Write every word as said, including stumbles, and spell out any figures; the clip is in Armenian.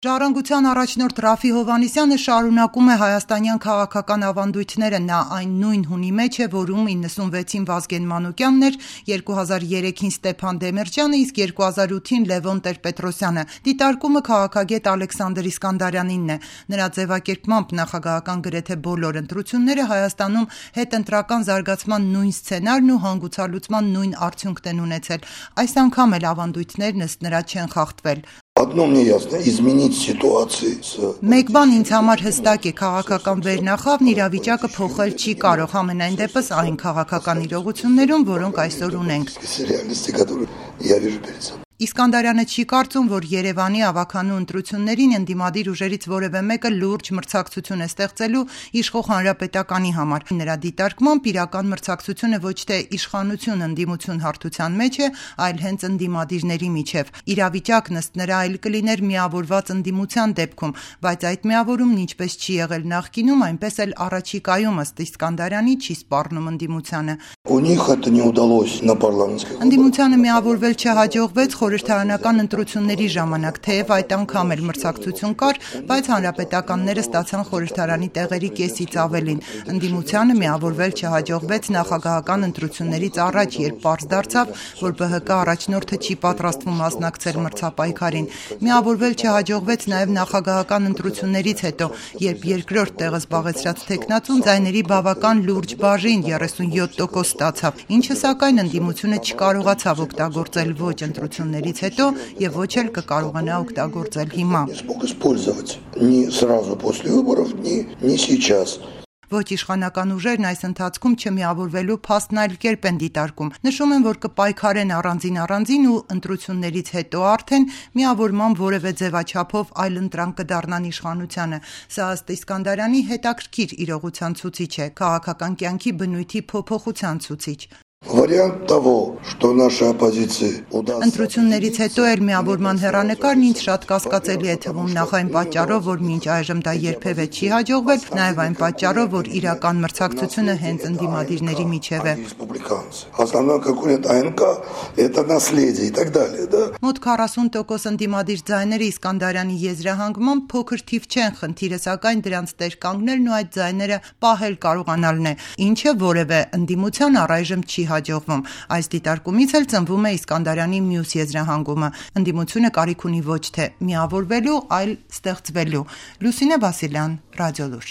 Ժառանգության առաջնորդ Ռաֆի Հովհաննիսյանը շարունակում է հայաստանյան քաղաքական ավանդույթները: Նա այն նույն հունի մեջ է, որում իննսունվեցին Վազգեն Մանուկյանն էր, երկու հազար երեքին Ստեփան Դեմիրճյանը, իսկ երկու հազար ութին Լևոն Տեր-Պետրոսյանը: Դիտարկումը քաղաքագետ Ալեքսանդր Իսկանդարյանինն է: Նրա ձևակերպմամբ նախագահական գրեթե բոլոր ընտրությունները Հայաստանում հետընտրական զարգացման նույն սցենարն ու հանգուցալուծման նույն արդյունքն են ունեցել: Այս անգամ էլ ավանդույթներն ըստ նրա չեն խախտվել: Մեկ բան ինձ համար հստակ է՝ քաղաքական վերնախավն իրավիճակը փոխել չի կարող, համենայնդեպս այն քաղաքական իրողություններում, որոնք այսօր ունենք: Իսկանդարյանը չի կարծում, որ Երևանի ավագանու ընտրություններին ընդդիմադիր ուժերից որևէ մեկը լուրջ մրցակցություն է ստեղծելու իշխող Հանրապետականի համար: Նրա դիտարկմամբ իրական մրցակցությունը ոչ թե իշխանություն-ընդդիմություն հարթության մեջ է, այլ հենց ընդդիմադիրների միջև: Իրավիճակն ըստ նրա այլ կլիներ միավորված ընդդիմության դեպքում, բայց այդ միավորումն ինչպես չի եղել նախկինում, այնպես էլ առաջիկայում ըստ Իսկանդարյանի չի սպառնում ընդդիմությանը: Ընդդիմությանը միավորվել չհաջողվեց խորհրդարանական ընտրությունների ժամանակ, թեև այդ անգամ էլ մրցակցություն կար, բայց հանրապետականները ստացան խորհրդարանի տեղերի կեսից ավելին: Ընդդիմությանը միավորվել չհաջողվեց նախագահական ընտրություններից առաջ, երբ պարզ դարձավ, որ Բը Հ Կ առաջնորդը չի պատրաստվում մասնակցել մրցապայքարին: Միավորվել չհաջողվեց նաև նախագահական ընտրություններից հետո, երբ երկրորդ տեղը զբաղեցրած թեկնածուն ձայների բավական լուրջ բաժին՝ երեսունյոթ տոկոս ստացավ, ինչը սակայն ընդդիմությունը չկարողացավ օգտագործել ոչ ընտրություններից հետո և ոչ էլ կկարողանա օգտագործել հիմա: Ոչ իշխանական ուժերն այս ընթացքում չմիավորվելու փաստն այլ կերպ են դիտարկում: Նշում են, որ կպայքարեն առանձին-առանձին ու ընտրություններից հետո արդեն միավորման որևէ ձևաչափով այլընտրանք կդառնան իշխանությանը: Սա ըստ Իսկանդարյանի հետաքրքիր իրողության ցուցիչ է, քաղաքական կյանքի բնույթի փոփոխության ցուցիչ: Ընտրություններից հետո էլ միավորման հեռանկարն ինձ շատ կասկածելի է թվում, նախ այն պատճառով, որ մինչ այժմ դա երբևէ չի հաջողվել, նաև այն պատճառով, որ իրական մրցակցությունը հենց ընդդիմադիրների միջև է: Մոտ քառասուն տոկոս ընդդիմադիր ձայները Իսկանդարյանի եզրահանգմամբ փոքր թիվ չեն, խնդիրը սակայն դրանց տեր կանգնելն ու այդ ձայները պահել կարողանալն է, ինչը որևէ ընդդիմության առայժմ չի հաջողվում: Այս դիտարկումից էլ ծնվում է Իսկանդարյանի մյուս եզրահանգումը: Ընդդիմությունը կարիք ունի ոչ թե միավորվելու, այլ ստեղծվելու: Լուսինե Վասիլյան, Ռադիոլուր: